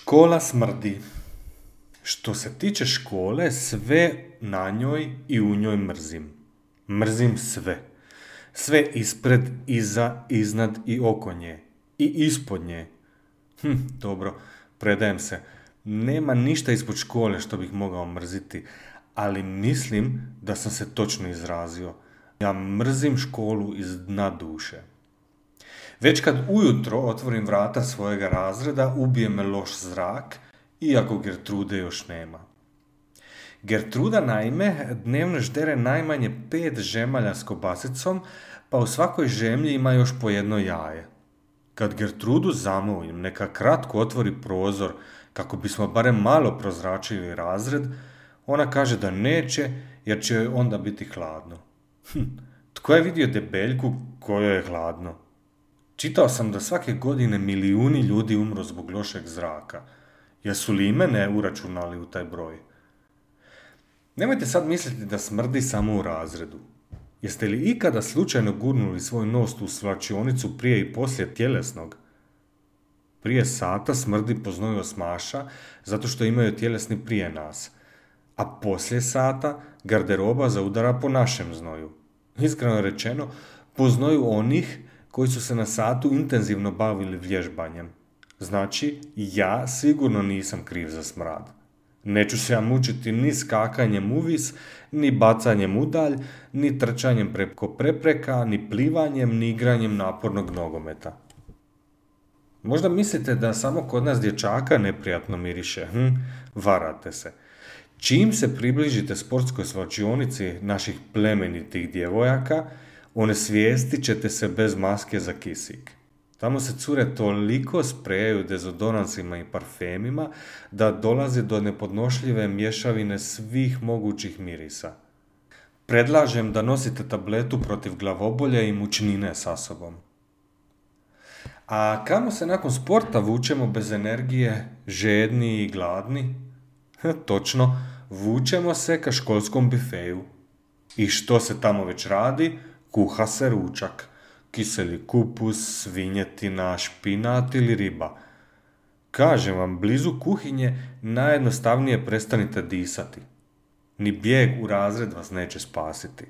Škola smrdi. Što se tiče škole, sve na njoj i u njoj mrzim. Mrzim sve. Sve ispred, iza, iznad i oko nje. I ispod nje. Dobro, predajem se. Nema ništa ispod škole što bih mogao mrziti, ali mislim da sam se točno izrazio. Ja mrzim školu iz dna duše. Već kad ujutro otvorim vrata svojega razreda, ubije me loš zrak, iako Gertrude još nema. Gertruda, naime, dnevno ždere najmanje 5 žemalja s kobasicom, pa u svakoj žemlji ima još po jedno jaje. Kad Gertrudu zamolim, neka kratko otvori prozor, kako bismo barem malo prozračili razred, ona kaže da neće, jer će joj onda biti hladno. Tko je vidio debeljku kojoj je hladno? Čitao sam da svake godine milijuni ljudi umru zbog lošeg zraka. Jesu li i mene uračunali u taj broj? Nemojte sad misliti da smrdi samo u razredu. Jeste li ikada slučajno gurnuli svoj nos u svlačionicu prije i poslije tjelesnog? Prije sata smrdi po znoju osmaša zato što imaju tjelesni prije nas, a poslije sata garderoba zaudara po našem znoju. Iskreno rečeno, po znoju onih koji su se na satu intenzivno bavili vježbanjem. Znači, ja sigurno nisam kriv za smrad. Neću se ja mučiti ni skakanjem uvis, ni bacanjem udalj, ni trčanjem preko prepreka, ni plivanjem, ni igranjem napornog nogometa. Možda mislite da samo kod nas dječaka neprijatno miriše. Varate se. Čim se približite sportskoj svlačionici naših plemenitih djevojaka, onesvijestit ćete se bez maske za kisik. Tamo se cure toliko sprejaju dezodoransima i parfemima da dolazi do nepodnošljive mješavine svih mogućih mirisa. Predlažem da nosite tabletu protiv glavobolje i mučnine sa sobom. A kamo se nakon sporta vučemo bez energije, žedni i gladni? Točno, vučemo se ka školskom bifeju. I što se tamo već radi? Kuha se ručak. Kiseli kupus, svinjetina, špinat ili riba. Kažem vam, blizu kuhinje najjednostavnije prestanite disati. Ni bijeg u razred vas neće spasiti.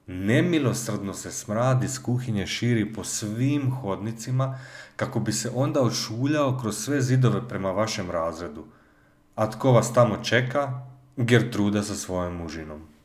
Nemilosrdno se smrad iz kuhinje širi po svim hodnicima kako bi se onda ošuljao kroz sve zidove prema vašem razredu. A tko vas tamo čeka? Gertruda sa svojom mužinom.